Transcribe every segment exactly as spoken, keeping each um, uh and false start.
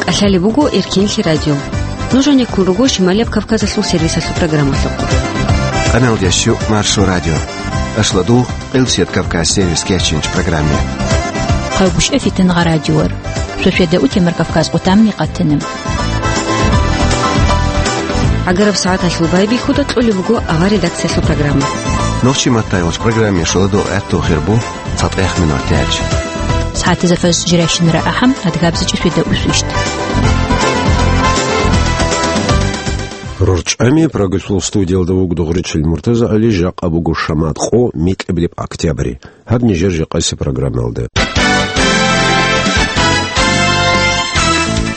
КӀалъалеб буго Эркенлъи радио. Нуж гьанеккун руго Шималияб Кавказалъул сервисалъул программалъухъ. Къаналдящу Маршо радио. Ашладу, Къилсият Кавказ сервис кечинч программе. Хъавгушев Фитнагъа радиор. Шошеда утемар Кавказ къутамни къатана. ГӀагараб сагӀаталъул байбихьуда кьолеб буго авар редакциялъул программа. Нохчи маттайгъуч программе шоладу гӀатту хирбу. ЦатӀехъ минут тяч. СагӀатизафас жирайщинара ахӀам, адгабзичӀи шведа усвищт. РорчӀами Прагалъул студиялда вугдугъричил МуртазагӀали, жакъа буго шамат къо, микьабилеб октябрь. Гьаб нижер жакъаси программалда.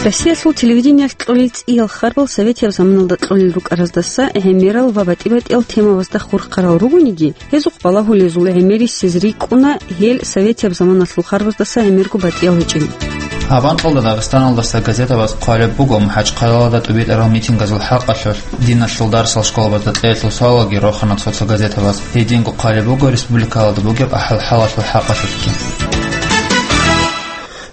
Россиялъул телевидениялъ кьолел цӀиял харбал советияб заманалда кьолел рукӀараздаса гӀемерал ва батӀи-батӀиял темабазда хурхарал ругониги, гьезухъ балагьулезул гӀемерисез рикӀкӀуна гьел советияб заманалъул харбаздаса гӀемерго батӀиял гьечӀел. Гьаб анкьалда Дагъистаналдаса газетабаз хъвалеб буго МахӀачхъалалда тӀубитӀарал митингазул хӀакъалъулъ, диналъул дарсал школабазда кьеялъул суалалги рохана цо-цо газетабаз. Гьединго хъвалеб буго республикалда бугеб ахӀвал-хӀалалъул хӀакъалъулъги.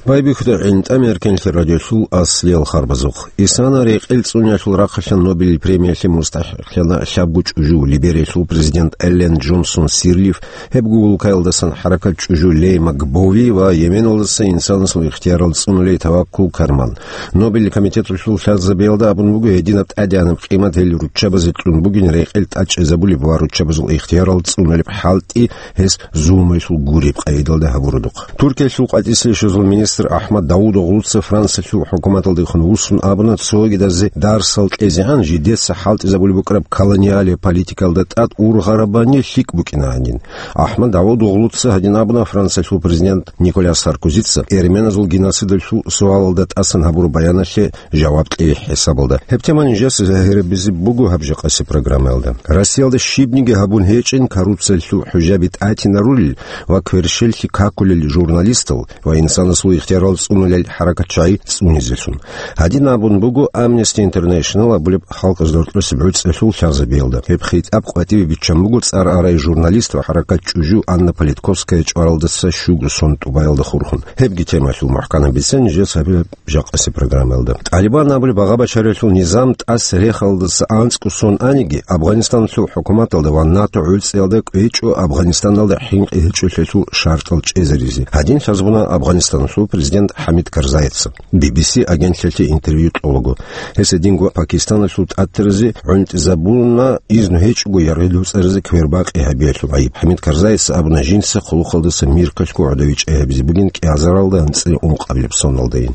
Байбихьуда гӀинтӀам Эркенлъи радиолъул аслиял харбазухъ. Исана рекъел цӀуниялъул рахъалъан Нобелил премиялъе мустахӀикълъана лъабго чӀужу, Либериялъул президент Эллен Джонсон Сирлиф, гьеб гугьулкаялдасан хӀаракат чӀужу Лейма Гбови ва Йеменалдаса инсанасул ихтиярал цӀунулей Таваккул Карман. Нобелил комитеталъул лъазабиялда абун буго, гьединаб тӀадегӀанаб къимат гьел руччабазе кьун бугин рекъел тӀачӀезабулеб ва руччабазул ихтиярал цӀунулеб хӀалтӀи гьес зулмуялъул гуреб къайдалда гьабуродухъ. Туркиялъул къватӀислъи щвезул министр Ахмад Давудоглуца Франциялъул хӀукуматалдехун вуссун абуна, цогидазе дарсал кьезегӀан жидеца хӀалтӀизабулеб букӀараб колониалияб политикалда тӀад ургъарабани лъикӀ букӀина гьанин. Ахмад Давудоглуца гьадин абуна Франциялъул президент Николяс Саркозица эрменазул геноцидалъул суалалда тӀасан гьабураб баяналъе жаваб кьей хӀисабалда. Гьеб тема нижеца загьирабизе буго гьаб жакъаси программаялда. Россиялда щибниги гьабун гьечӀин коррупциялъул хӀужаби тӀатинарулел ва кверщеллъи какулел журналистал ва инсанасул ихтиярал цӀунулел хӀаракатчагӀи цӀунизелъун. Гьадин абун буго Amnesty International абулеб халкъазда рокьулеб гӀуцӀиялъул лъазабиялда. Гьеб хитӀаб къватӀибе биччан буго цӀар арай журналист ва хӀаракат чӀужу Анна Политковская чӀваралдаса щуго сон тӀубаялда хурхун. Гьебги темалъул мухӀканаб бицен нижеца гьабилеб жакъаси программаялда. ТӀалибан абулеб багъа-бачаралъул низам тӀаса рехалдаса анцӀго сон аниги, Афганистаналъул хӀукуматалда ва НАТО гӀуцӀиялда кӀвечӀо Афганистаналда хӀинкъи гьечӀолъиялъул шартӀал чӀезаризе. Гьадин лъазабуна Афганистаналъул президент ХӀамид Карзайица Би Би Си агентлъиялъе интервью кьолаго. Гьес гьединго Пакистаналъул тӀатаразе гӀунтӀизабуна изну гьечӀого яргъи луцӀаризе квербакъи гьабиялъул гӀайиб. ХӀамид Карзайица абуна, жинца хъулухъалдаса Миркалъго гӀодов вичӀчӀи гьабизе бугин кӀиазаралда анцӀила ункъабилеб соналдайин.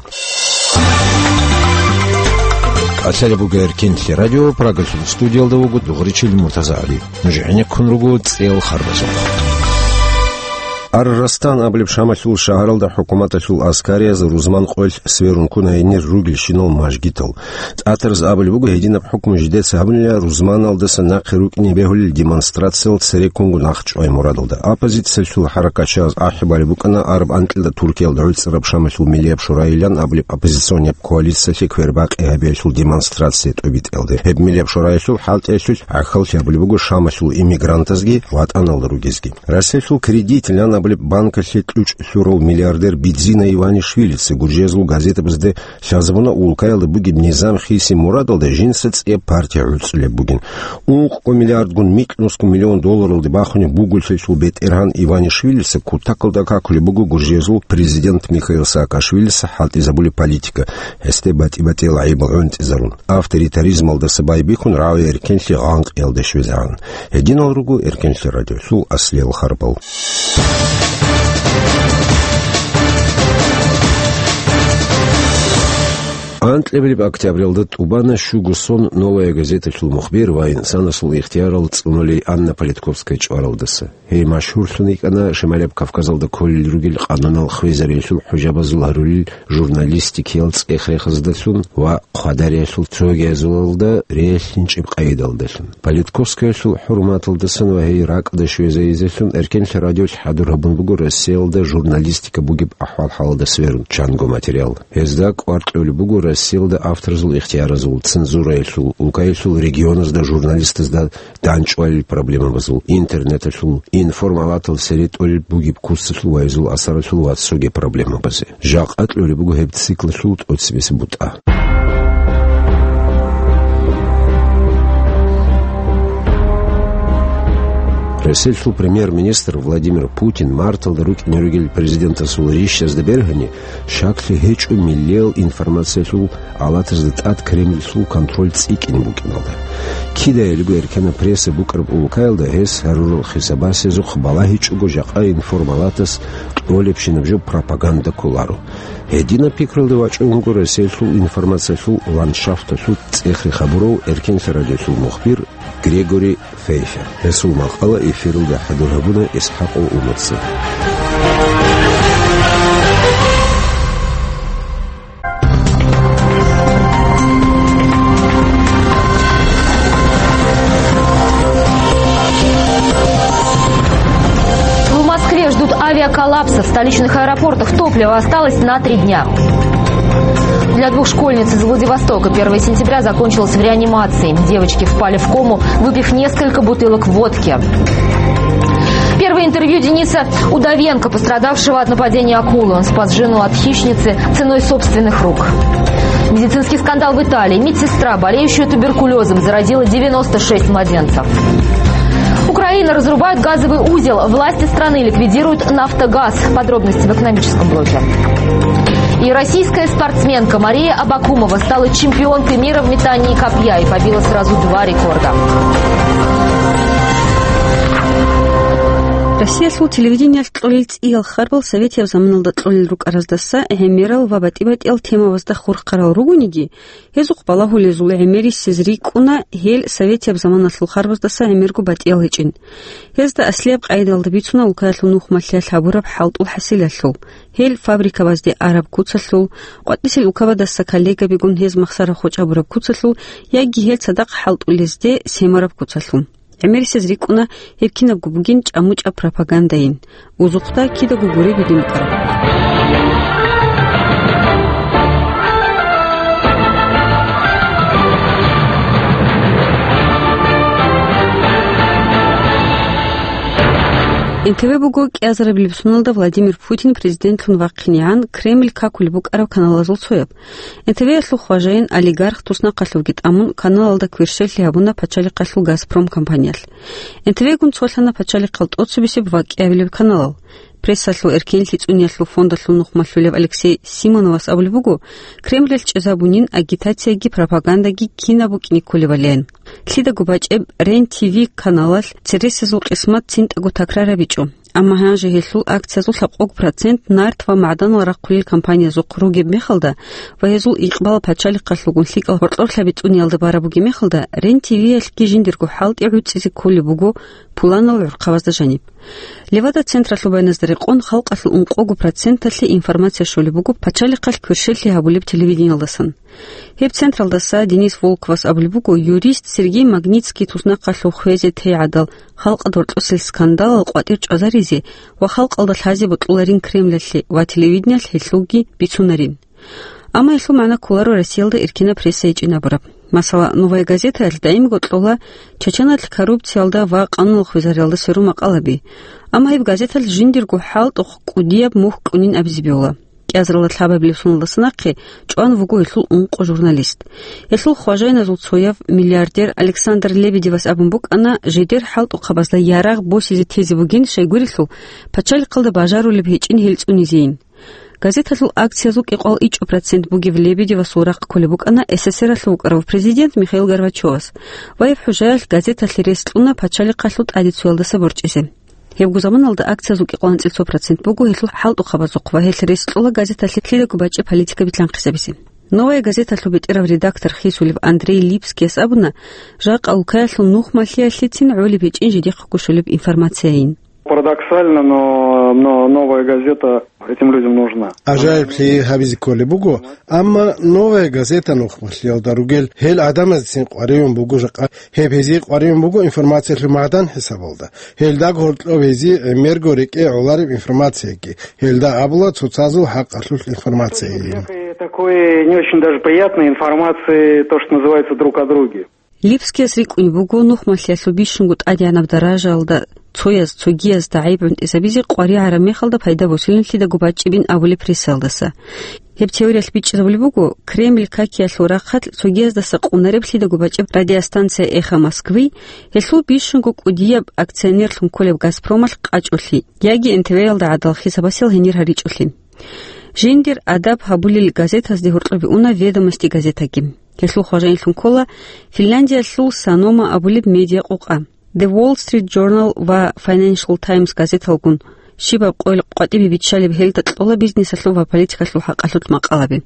КӀалъалеб буго Эркенлъи радио, Прагалъул студиялда вуго дугъричил МуртазагӀали. Нуж гӀенеккун руго цӀел харбазухъ. Ар-Растан абулеб Шамалъул шагьаралда хӀукуматалъул аскариязда рузман къоялъ сверун ккуна гьенир ругелщинал мажгитал. ТӀатараз абулеб буго, гьединаб хӀукму жидеца гьабунила рузманалдаса нахъе рукӀине бегьулел демонстрациял цереккунго нахъчӀвай мурадалда. Оппозициялъул хӀаракатчагӀаз ахӀи балеб букӀана араб анкьилда Туркиялда гӀуцӀараб Шамалъул миллияб шурайилан абулеб оппозиционияб коалициялъе квербакъи гьабиялъул демонстрация тӀубитӀиялде. Гьеб миллияб шурайилъул хӀалтӀиялъулъ гӀахьаллъи гьабулеб буго Шамалъул иммигрантазги ВатӀаналда ругезги. Россиялъул Кредит лан абулеб банкалъе кьучӀ лъурав миллиардер Бидзина Иванишвилица гуржиязул газетабазде лъазабуна улкаялда бугеб низам хиси мурадалда жинца цӀияб партия гӀуцӀулеб бугин. Ункъго миллиардгун микьнусго миллион долларалде бахунеб буголъиялъул бетӀергьан Иванишвилица кутакалда какулеб буго гуржиязул президент Михаил Саакашвилица хӀалтӀизабулеб политика, гьесде батӀи-батӀиял гӀайибал гӀунтӀизарун, авторитаризмалдаса байбихьун рагӀи-эркенлъи гъанкъиялде щвезегӀан. Гьединал руго Эркенлъи радиолъул аслиял харбал. Анкьабилеб октябралда тӀубана щуго сон «Новая газеталъул» мухбир ва инсанасул ихтиярал цӀунулей Анна Политковская чӀваралдаса. Гьей машгьурлъун йикӀана Шималияб Кавказалда кколел ругел къанунал хвезариялъул хӀужабазул гьарулел журналистикиял цӀех-рехаздалъун ва хъвадариялъул цогиязулалда релълъинчӀеб къайдалдалъун. Политковскаялъул хӀурматалдасан ва гьей ракӀалде щвезайизелъун Эркенлъи радиолъ хӀадур гьабун буго Россиялда журналистика бугеб ахӀвал-хӀалалда сверун чанго материал. Гьезда кӀвар кьолеб буго Россиялда авторзул ихтияразул, цензураялъул, улкаялъул регионазда журналистазда данчӀвалил проблемабазул, интернеталъул, информалатал серетӀолел бугеб куцалъул вайзул асаралъул ва цоги проблемабазе. Жакъа кьолеб буго гьеб циклалъул тӀоцебесеб бутӀа. Россиялъул премьер-министр Владимир Путин марталда рукӀине ругел президентасул рищазда бергьани, щаклъи гьечӀо миллиял информациялъул алатазда тӀад Кремльлъул контроль цӀикӀкӀине букӀиналда. Кидаялиго эркенаб пресса букӀараб улкаялда гьес гьарурал хисабасезухъ балагьичӀого жакъа информалатас кьолебщинаб жо пропаганда кколаро. Гьединаб пикралда вачӀун вуго Россиялъул информациялъул ландшафталъул цӀех-рех гьабурав эркенлъи радиолъул мухбир Грегори Фейфер. Гьесул макъала эфиралда хӀадур гьабуна ИсхӀакъов Умарза. В Москве ждут авиаколлапса. В столичных аэропортах топливо осталось на три дня. Для двух школьниц из Владивостока первое сентября закончилось в реанимации. Девочки впали в кому, выпив несколько бутылок водки. Первое интервью Дениса Удовенко, пострадавшего от нападения акулы. Он спас жену от хищницы ценой собственных рук. Медицинский скандал в Италии. Медсестра, болеющая туберкулезом, заразила девяносто шесть младенцев. Украина: разрубают газовый узел. Власти страны ликвидируют «Нафтогаз». Подробности в экономическом блоке. И российская спортсменка Мария Абакумова стала чемпионкой мира в метании копья и побила сразу два рекорда. Россиялъул телевидениялъ кьолел цӀиял харбал советияб заманалда кьолел рукӀараздаса гӀемерал ва батӀи-батӀиял темабазда хурхарал ругониги, гьезухъ балагьулезул гӀемерисез рикӀкӀуна гьел советияб заманалъул харбаздаса гӀемерго батӀиял гьечӀин. Гьезда аслияб къайдалда бицуна улкаялъул нухмалъиялъ гьабураб хӀалтӀул хӀасилалъул, гьел фабрикабазде араб куцалъул, къватӀисел улкабадаса коллегабигун гьез махсара-хоч гьабураб куцалъул яги гьел цадахъ хӀалтӀулезде семараб куцалъул. ГӀемерисез рикӀкӀуна гьеб кинабго бугин чӀамучӀаб пропагандайин. Узухъда кидаго гуреб гьедин букӀараб. НТВ буго кӀиазарабилеб соналда Владимир Путин президентлъун вахъинегӀан Кремль какулеб букӀараб каналазул цояб. НТВ-ялъул хважаин олигарх туснахъалъувги тӀамун, каналалда кверщеллъи гьабуна пачалихъалъул «Газпром» компаниялъ. НТВ-гун цолъана пачалихъал тӀоцебесеб ва кӀиабилеб каналал. Прессалъул эркенлъи цӀуниялъул фондалъул нухмалъулев Алексей Симоновас абулеб буго, Кремльалъ чӀезабунин агитацияги пропагандаги кинаб букӀине кколебалин. Лъидаго бачӀеб Рен-ТВ каналалъ цересезул къисмат цинтӀаго такрарабичӀо. Амма гьанже гьелъул акциязул лъабкъого процент нарт ва магӀданал рахъулел компаниязухъ ругеб мехалда ва гьезул икъбал пачалихъалъулгун лъикӀал гьоркьорлъаби цӀуниялда бараб бугеб мехалда, Рен-ТВ-ялъги жиндирго хӀалтӀи гӀуцӀизе кколеб буго пуланал гӀурхъабазда жаниб. Левада-централъул байназда рекъон, халкъалъул ункъого проценталъе информация щолеб буго пачалихъалъ кверщеллъи гьабулеб телевидениялдасан. Гьеб централдаса Денис Волковас абулеб буго, юрист Сергей Магнитский туснахъалъув хвезе тей гӀадал, халкъалда гьоркьосел скандалал къватӀир чӀвазаризе ва халкъалда лъазе бокьуларин Кремльалъе ва телевидениялъ гьелъулги бицунарин. Амма гьелъул магӀна кколаро Россиялда эркенаб пресса гьечӀин абураб. Масала, «Новая газетаялъ» даимго кьола Чеченалъ коррупциялда ва къануналъ хвезариялда сверун макъалаби. Амма гьеб газеталъ жиндирго хӀалтӀухъ кӀудияб мухь кьунин абизе бегьула. КӀиазаралда лъабабилеб соналдаса нахъе чӀван вуго гьелъул ункъо журналист. Гьелъул хважайназул цояв, миллиардер Александр Лебедевас абун букӀана, жидер хӀалтӀухъабазда ярагъ босизе тезе бугин, щайгурелъул пачалихъалда бажарулеб гьечӀин гьел цӀунизейин. Газеталъул акциязул кӀикъоялда ичӀго процент бугеб Лебедевасул рахъ кколеб букӀана СССР-алъул вукӀарав президент Михаил Горбачевас. Ва гьеб хӀужаялъ газеталъе рес кьуна пачалихъалъул тӀаде цоялдаса борчӀизе. Гьебго заманалда акциязул кӀикъоялда анцӀила цо процент буго гьелъул хӀалтӀухъабазухъ ва гьелъ рес кьола газеталъе лъидаго бачӀеб политика битлъанхъизабизе. «Новая газеталъул» бетӀерав редактор хисулев Андрей Липскияс абуна, жакъа улкаялъул нухмалъиялъецин гӀолеб гьечӀин жидехъего щолеб информацияйин. Парадоксально, но, но «Новая газета» этим людям нужна. ГӀажаиблъи гьабизе кколеб буго, амма «Новая газета» нухмалъиялда ругел гьел гӀадамазецин къваригӀун буго жакъа. Гьеб гьезие къваригӀун буго информациялъул магӀдан хӀисабалда. Гьелда гьоркьоб гьезие гӀемерго рекӀее гӀолареб информацияги. Гьелда абула цоцазул хӀакъалъулъ информациайин. Такой не очень даже приятной информации, то, что называется, друг о друге. Липскияс рикӀкӀунеб буго нухмалъиялъул бищунго тӀадегӀанаб даражаялда цояз цогиязда гӀайиб гӀунтӀизабизе къваригӀараб мехалда пайда босилин лъидаго бачӀчӀибин абулеб прессаялдаса. Гьеб теориялъ бичӀчӀизабулеб буго, Кремль какиялъул рахъалъ цогияздаса къунареб лъидаго бачӀчӀаб радиостанция «Эхо Москвы», гьелъул бищунго кӀудияб акционерлъун кколеб «Газпромалъ» къачӀолъи, яги эн тэ вэ-ялда гӀадал хисабасел гьенир гьаричӀолъи. Жиндир адаб гьабулел газетазде гьоркьоб уна «Ведомости» газетаги. Гьелъул хважаинлъун ккола Финляндиялъул «Санома» абулеб медиакъукъа. The Wall Street Journal ва Financial Times газеталгун щибаб къойил къватӀибе биччалеб гьелда кьола бизнесалъул ва политикалъул хӀакъалъулъ макъалаби.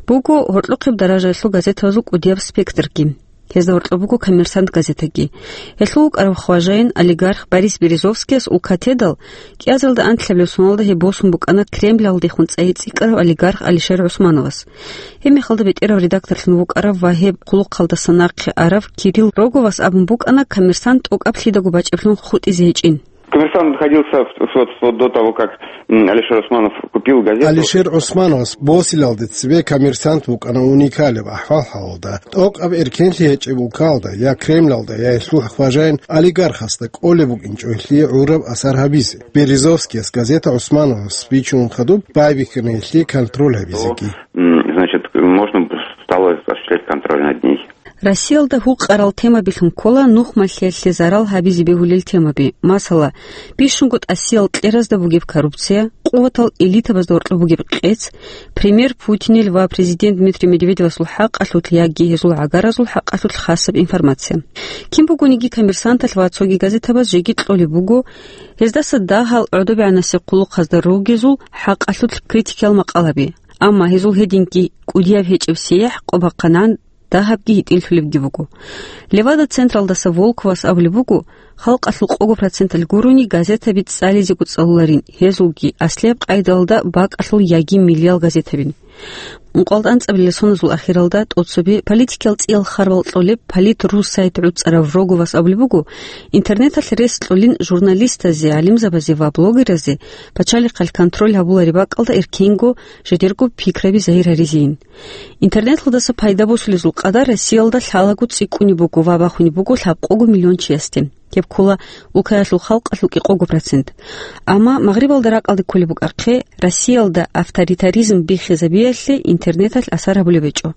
Буго гьоркьохъеб даражаялъул газетабазул кӀудияб спектрги. Гьезда гьоркьоб буго «Коммерсант» газетаги. Гьелъул вукӀарав хважаин олигарх Борис Березовскияс улкатедал кӀиазаралда анлъабилеб соналда гьеб босун букӀана Кремлалдехун цӀайи цӀикӀкӀарав олигарх Алишер ГӀусмановас. Гьеб мехалда бетӀерав редакторлъун вукӀарав ва гьеб хъулухъалдаса нахъе арав Кирилл Роговас абун букӀана «Коммерсант» тӀокӀаб лъидаго бачӀиблъун хутӀизе гьечӀин. «Коммерсант» находился в, вот, вот до того, как, м, Алишер Усманов купил газету. Алишер ГӀусмановас босилалде цебе «Коммерсант» букӀана уникалаб ахӀвал-хӀалалда, тӀокӀаб эркенлъи гьечӀеб улкалда я Кремлалда, я гьелъул хважаин олигархасда кӀолеб букӀинчӀо гьелъие гӀураб асар гьабизе. Березовскияс газета ГӀусмановас бичун хадуб байбихьана гьелъие контроль гьабизеги. М, значит, можно стало осуществлять контроль над ней. Россиялда гьукъарал темабилъун ккола нухмалъиялъе зарал гьабизе бегьулел темаби, масала, бищунго тӀасиял кьеразда бугеб коррупция, къуватал элитабазда гьоркьоб бугеб къец, премьер Путинил ва президент Дмитрий Медведевасул хӀакъалъулъ яги гьезул гӀагаразул хӀакъалъулъ хасаб информация. Кин бугониги «Коммерсанталъ» ва цоги газетабаз жеги кьолеб буго гьездаса дагьал гӀодобегӀанасе хъулухъазда ругезул хӀакъалъулъ критикиял макъалаби, амма гьезул гьединги кӀудияб гьечӀеб сияхӀ къо бахъанан дагьабги гьитӀинлъулебги буго. «Левада» централдаса Волковас абулеб буго, халкъалъул къого проценталъ гурони газетаби цӀализего цӀалуларин, гьезулги аслияб къайдалда бакӀалъул яги миллиял газетабин. Ункъоялда анцӀабилел соназул ахиралда тӀоцебе политикиял цӀиял харбал кьолеб «Политру» сайт гӀуцӀарав Роговас абулеб буго, интернеталъ рес кьолин журналистазе, гӀалимзабазе ва блогеразе пачалихъалъ контроль гьабулареб бакӀалда эркенго жидерго пикраби загьир гьаризейин. Интернеталдаса пайда босулезул къадар Россиялда лъалаго цӀикӀкӀунеб буго ва бахунеб буго лъабкъого миллион чиясде. Гьеб ккола улкаялъул халкъалъул кӀикъого процент. Амма Магърибалда ракӀалде кколеб букӀахъе, Россиялда авторитаризм биххизабиялъе интернеталъ асар гьабулеб гьечӀо.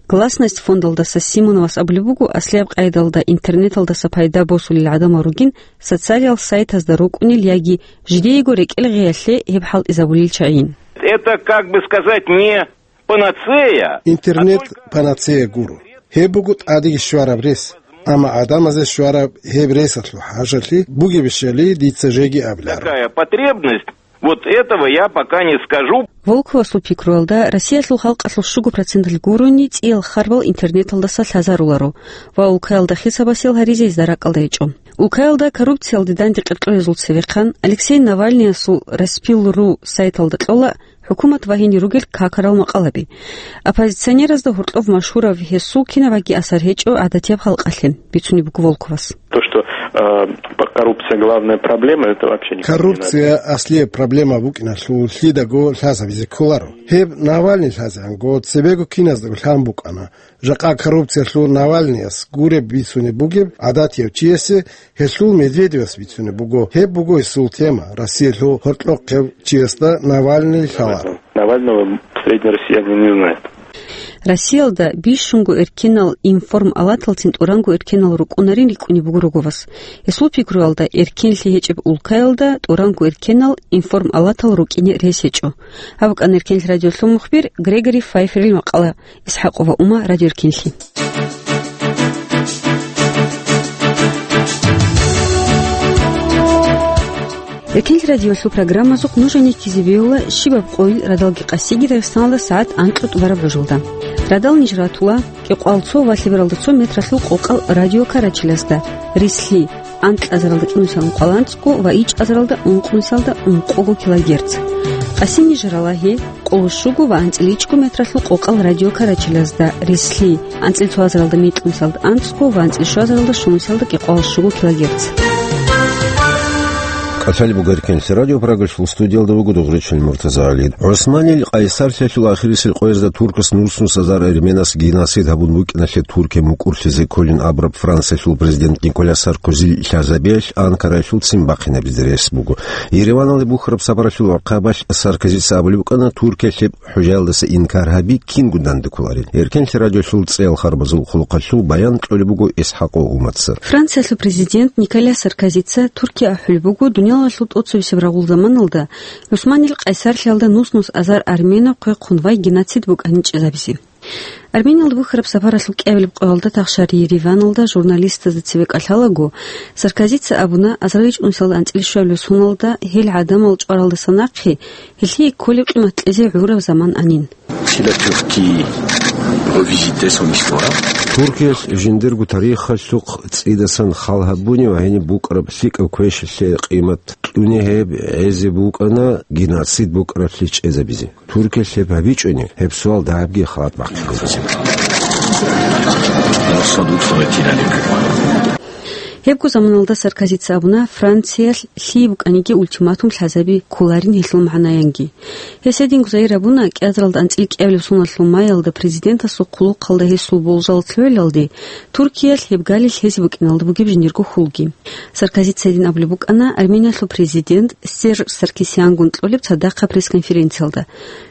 «Гласность» фондалдаса Симоновас абулеб буго, аслияб къайдалда интернеталдаса пайда босулел гӀадамал ругин социалиял сайтазда рукӀунел яги жидеего рекӀел гъеялъе гьеб хӀалтӀизабулел чагӀийин. Это, как бы сказать, не панацея. Интернет панацея гуро. Гьеб буго тӀадеги щвараб рес. Амма гӀадамазе щвараб гьеб ресалъул хӀажалъи бугебищали дица жеги абиларо. Какая потребность? Вот этого я пока не скажу. Волковасул пикруялда, Россиялъул халкъалъул щуго проценталъ гурони цӀиял харбал интернеталдаса лъазаруларо ва улкаялда хисабасел гьаризе гьезда ракӀалда гьечӀо. Улкаялда коррупциялде данде къеркьоязул цевехъан Алексей Навальныясул «Распил.ру» сайталда кьола хӀукумат вагьине ругел какарал макъалаби. Оппозиционеразда гьоркьов машгьурав гьесул кинабаги асар гьечӀо гӀадатияб халкъалъе, бицунеб буго Волковас. То, что, э, п-, коррупция главная проблема, это вообще никак не надо. Коррупция аслияб проблема букӀиналъул лъидаго лъазабизе кколаро. Гьеб Навальный лъазегӀанго цебего киназдаго лъан букӀана. Жакъа коррупциялъул Навальныяс гуреб бицунеб бугеб гӀадатияв чиясе, гьелъул Медведевас бицунеб буго. Гьеб буго гьесул тема, Россиялъул гьоркьохъев чиясда Навальный лъаларо. Навального средний россиянин не знает. Россиялда бищунго эркенал информалаталцин тӀуранго эркенал рукӀунарин рикӀкӀунеб буго Роговас. Гьесул пикруялда, эркенлъи гьечӀеб улкаялда тӀуранго эркенал информалатал рукӀине рес гьечӀо. Гьаб букӀана Эркенлъи радиолъул мухбир Грегори Файферил макъала. ИсхӀакъова Ума, Радио Эркенлъи. Эркенлъи радиолъул программазухъ нуж гьанир ккезе бегьула щибаб къойил радалги къасиги Дагъистаналда сагӀат анкьго тӀубараб гӀужалда. Радал ниж ратула кӀикъоялда цо ва лъебералда цо метралъул къокъал радио карачелазда, рислъи, анкьазаралда кӀинусиялда ункъоялда анцӀго ва ичӀазаралда ункънусиялда ункъого килогерц. Къаси ниж ралагье къоло щуго ва анцӀила ичӀго метралъул къокъал радио карачелазда, рислъи, анцӀила цоазаралда мекьнусиялда анцӀго ва анцӀила щуазаралда щунусиялда кӀикъоялда щуго килогерц. Ахал бугаркин радио Прагалъул студиялда вуго дугъричил Муртаза ГӀали. ГӀусманил къайсарлъиялъул ахирисел къоязда туркас нус-нус азар арменас геноцид гьабун букӀиналъе Туркия мукӀурлъизе кколин абураб Франциялъул президент Николя Саркозил лъазабиялъ Анкараялъул цин бахъинабизе рес буго. Ереваналде бухьараб сапаралъул гӀахъабалъ Саркозица абулеб букӀана, Туркиялъ гьеб хӀужаялдаса инкар гьаби кинго данде кколарин. Эркенлъи радиолъул цӀеял харбазул хъулухъалъул баян кьолеб буго ИсхӀакъ Умаца. Франциялъул президент Николя Саркозица Туркия ахӀулеб буго дуниялалъул тӀоцебесеб рагъул заманалда ГӀусманил къайсарлъиялда нус-нус азар арменаб хъвехъун вай геноцид букӀанин чӀезабизе. Армениялда бухьараб сапаралъул кӀиабилеб къоялда тахшар Ереваналда журналистазда цебе кӀалъалаго, Саркозица абуна, азарил чӀунусиялда анцӀила щуабилеб соналда гьел гӀадамал чӀваралдаса нахъе гьелъие кколеб къимат кьезе гӀураб заман анин. Si la Turquie revisitait son histoire. Туркиялъ жиндирго тарихалъухъ цӀидасан хал гьабуни ва гьениб букӀараб лъикӀаб квешлъи къимат кьуни гьеб гӀезе букӀана геноцид букӀараблъи чӀезабизе. Туркиялъ гьеб гьабичӀони, гьеб суал дагьабги халат бахъизе. Гьебго заманалда Саркозица абуна, Франциялъ лъие букӀаниги ультиматум лъазаби кколарин гьелъул магӀнаянги. Гьес гьединго загьир абуна, кӀиазаралда анцӀила кӀиабилеб соналъул маялда президентасул хъулухъалда гьесул болжал лъугӀиналде, Туркиялъ гьеб галилъ гьезе букӀиналда бугеб жиндирго хьулги. Саркозица гьедин абулеб букӀана Армениялъул президент Серж Саркисянгун кьолеб цадахъа пресс-конференциялда.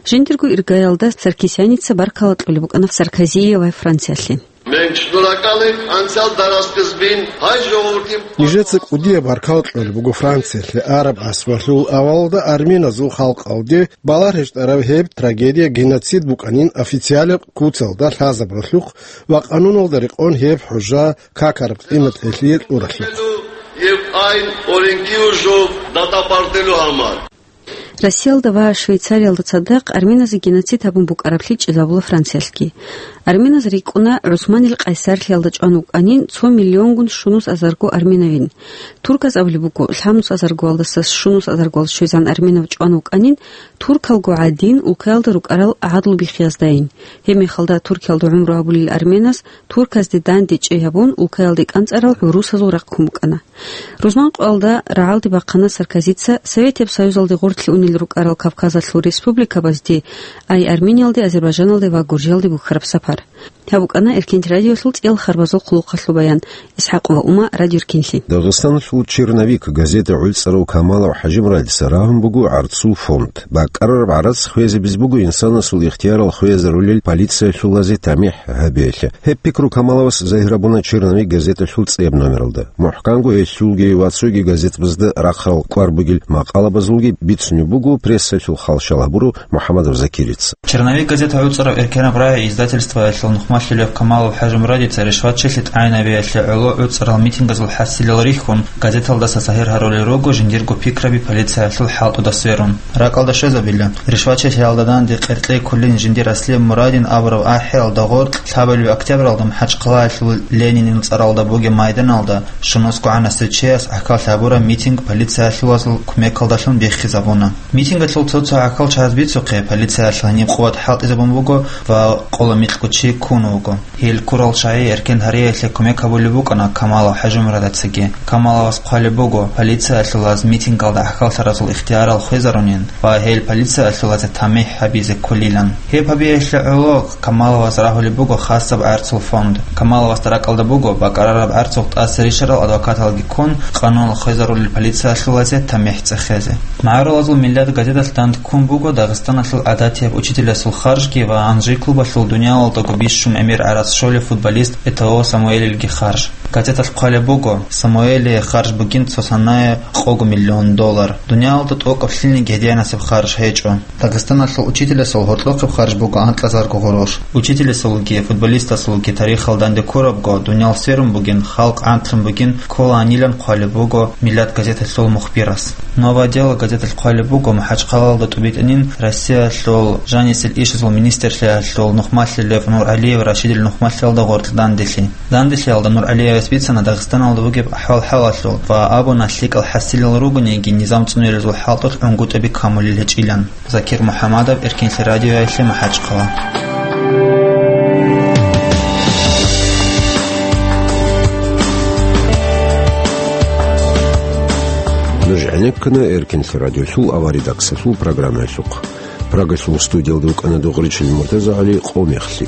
Жиндирго иргаялда Саркисяница баркала кьолеб букӀана Саркозие ва Франциялъе. Մենք շնորհակալ ենք անցյալ դարասկզբին հայ ժողովրդին. Нижеца кӀудияб баркала кьолеб буго Франциялъе, араб асралъул авалалда армяназул халкъалде балагьараб гьеб трагедия геноцид букӀанин официалаб куцалда лъазабуралъухъ ва къануналда рекъон гьеб хӀужа какараб къимат гьелъие кьуралъухъ. Եվ այն օրենքի ուժով դատապարտելու համար. Россиялда ва Швейцариялда цадахъ армяназда геноцид гьабун букӀараблъи чӀезабула Франциялъги. Армяназ рикӀкӀуна ГӀусманил къайсарлъиялда чӀван вукӀанин цо миллионгун щунус азарго армянавин. Турказ абулеб буго, лъабнус азаргоялдаса щунус азаргоялда щвезан армянав чӀван вукӀанин туркалго гӀадин улкаялда рукӀарал гӀадлу биххияздаин. Гьеб мехалда Туркиялда гӀумру гьабулел армяназ турказде данде чӀей гьабун, улкаялде кӀанцӀарал гӀурусазул рахъ ккун букӀана. Рузман къоялда рагӀалде бахъана Саркозица Советияб Союзалде гъорлъе унел рукӀарал Кавказалъул республикабазде, ай Армениялде, Азербайджаналде ва Гуржиялде бухьараб сапар. Гьаб букӀана Эркенлъи радиолъул цӀиял харбазул хъулухъалъул баян. ИсхӀакъ ва Ума, Радио Эркенлъи. Дагъистаналъул «Черновик» газета гӀуцӀарав Камалов ХӀажимурадица рагьун буго гӀарцул фонд. БакӀарараб гӀарац хвезабизе буго инсанасул ихтиярал хвезарулел полициялъулазе тамихӀ гьабиялъе. Гьеб пикру Камаловас загьир гьабуна «Черновик» газеталъул цӀияб номералда. МухӀканго гьелъулги ва цоги газетабазда рахъарал кӀвар бугел макъалабазулги бицунеб буго прессалъул халщал гьабурав МухӀаммадов Закирица. «Черновик» газета гӀуцӀарав эркенаб рагӀи издательствоялъул нухмалъулев Камалов ХӀажимурадица ришвачилъи тӀагӀинабиялъе гӀоло гӀуцӀарал митингазул хӀасилал рихьун, газеталдаса загьир гьарулел руго жиндирго пикраби полициялъул хӀалтӀуда сверун. РакӀалда щвезабила, ришвачилъиялда данде къеркьей кколин жиндир Аслим Мурадин абураб ахӀиялда гъоркь лъабабилеб октябралда МахӀачхъалаялъул Ленинил цӀаралда бугеб майданалда щунусго гӀанасев чияс гӀахьаллъи гьабураб митинг полициялъулазул кумекалдалъун биххизабуна. Митингалъул цо-цо гӀахьалчагӀаз бицухъе, полициялъ гьаниб къуват хӀалтӀизабун буго ва къоло микьго чи ккун вуго. Гьел ккурал чагӀи эркен гьариялъе кумек гьабулеб букӀана Камалов ХӀажимурадицаги. Камаловас хъвалеб буго, полициялъулаз митингалда гӀахьаллъаразул ихтиярал хвезарунин ва гьел полициялъулазе тамихӀ гьабизе кколилан. Гьеб гьабиялъе гӀоло Камаловас рагьулеб буго хасаб гӀарцул фонд. Камаловасда ракӀалда буго бакӀарараб гӀарцул тӀаса ричарал адвокаталги ккун, къануналъ хвезарулел полициялъулазе тамихӀ цӀехезе. МагӀарулазул миллат газеталъ данде ккун буго Дагъистаналъул гӀадатияб учителясул харжги ва Анжи клубалъул дуниялалдаго бищун гӀемер гӀарац щолев футболист Этоо Самуэлилги харж. Газеталъ хъвалеб буго, Самуэлие харж бугин цо санае къого миллион доллар. Дуниялалда тӀокӀаб лъилниги гьединасеб харж гьечӀо. Дагъистаналъул учителясул гьоркьохъеб харж буго анкьазарго гъурущ. Учителясулги футболистасулги тарихалда данде ккурабго, дуниял сверун бугин, халкъ гӀантлъун бугин кколаанилан хъвалеб буго Миллат газеталъул мухбирас. Новое дело газеталъ хъвалеб буго МахӀачхъалаялда тӀубитӀанин Россиялъул жанисел ишазул министрлъиялъул нухмалъулев НургӀалиев Рашидил нухмалъиялда гъоркь данделъи. Данделъиялда НургӀалиевас бицана Дагъистаналда бугеб ахӀвал-хӀалалъул ва абуна, лъикӀал хӀасилал ругониги, низам цӀунилазул хӀалтӀулъ гӀунгутӀаби камулел гьечӀилан. Закир МухӀамадов, Эркенлъи радиоялъе, МахӀачхъала. Нуж гӀенеккана Эркинлъи радиолъул аваридаксалъул программаялъухъ. Прагалъул студиялда вукӀана Дугъричил МуртазагӀали. Къо мехлъи.